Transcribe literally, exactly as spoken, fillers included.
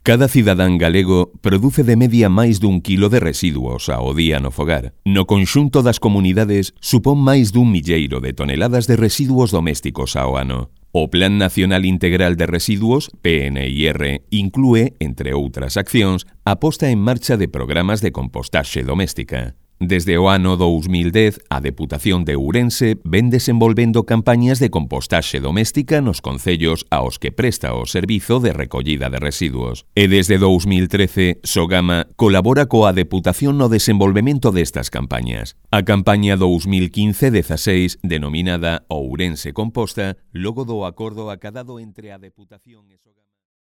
Cada cidadán galego produce de media máis dun quilo de residuos ao día no fogar. No conxunto das comunidades supón máis dun milleiro de toneladas de residuos domésticos ao ano. O Plan Nacional Integral de Residuos, P N I R, inclúe, entre outras accións, a posta en marcha de programas de compostaxe doméstica. Desde o ano dous mil dez, a Deputación de Ourense ven desenvolvendo campañas de compostaxe doméstica nos concellos aos que presta o servizo de recollida de residuos. E desde dous mil trece, Sogama colabora coa Deputación no desenvolvemento destas campañas. A campaña dous mil quince dezasseis, denominada Ourense Composta, logo do acordo acadado entre a Deputación e Sogama.